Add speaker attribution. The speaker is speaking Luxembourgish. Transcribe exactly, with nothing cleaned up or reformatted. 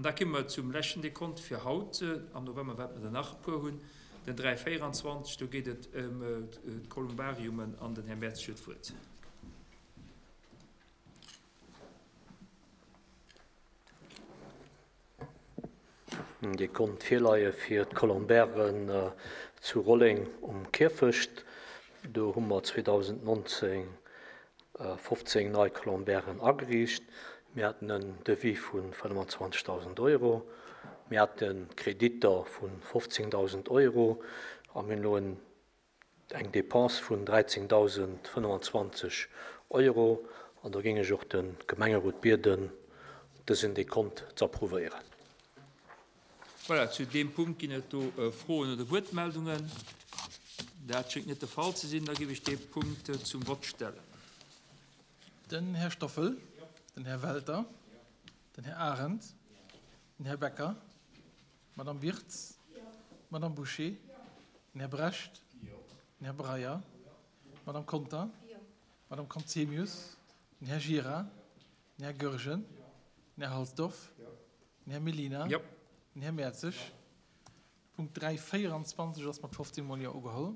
Speaker 1: An da komme mer zum leschten Dekont fir haut. Am November wäerte mer der nach e puer hunn. Den dräi véierundzwanzeg, do geet et ëm d'Kolumbariumen an den Här Mertzig huet d'Wuert.
Speaker 2: Dir konnt virleie fir d'Columbairen zu Rolleng um Kierfecht. Do hu mer zweedausendnonzéng fofzéng nei Columbairen ageriicht. Mir haten en Devis vu fënnwandzwanzegdausend Euro. Mir hate Kreditter vu fofzéngdausend Euro a mir hunn elo eng Dépense vun dräizéngdausendfënnwandzwanzeg Euro. An do géing ech och de Gemengerot bieden, dësen Dekont ze approuvéieren.
Speaker 1: Voilà, zu deem Punkt ginn et do Froen oder Wuertmeldungen. Dat schéngt net de Fall ze sinn. Da géif ech dee Punkt zum Vott stellen.
Speaker 3: Den Här Stoffel, den Här Welter, den Här Arendt, den Här Becker, d'Madame Wirtz, d'Madame Bouché, den Här Brecht, den Här Breyer, d'Madame Conter, d'Madame Conzemius, den Här Gira, den Här Goergen, den Här Halsdorf, den Här Mellina, den Här Mertzig. Punkt dräi véierundzwanzeg ass mat fofzéng Mol Jo ugeholl.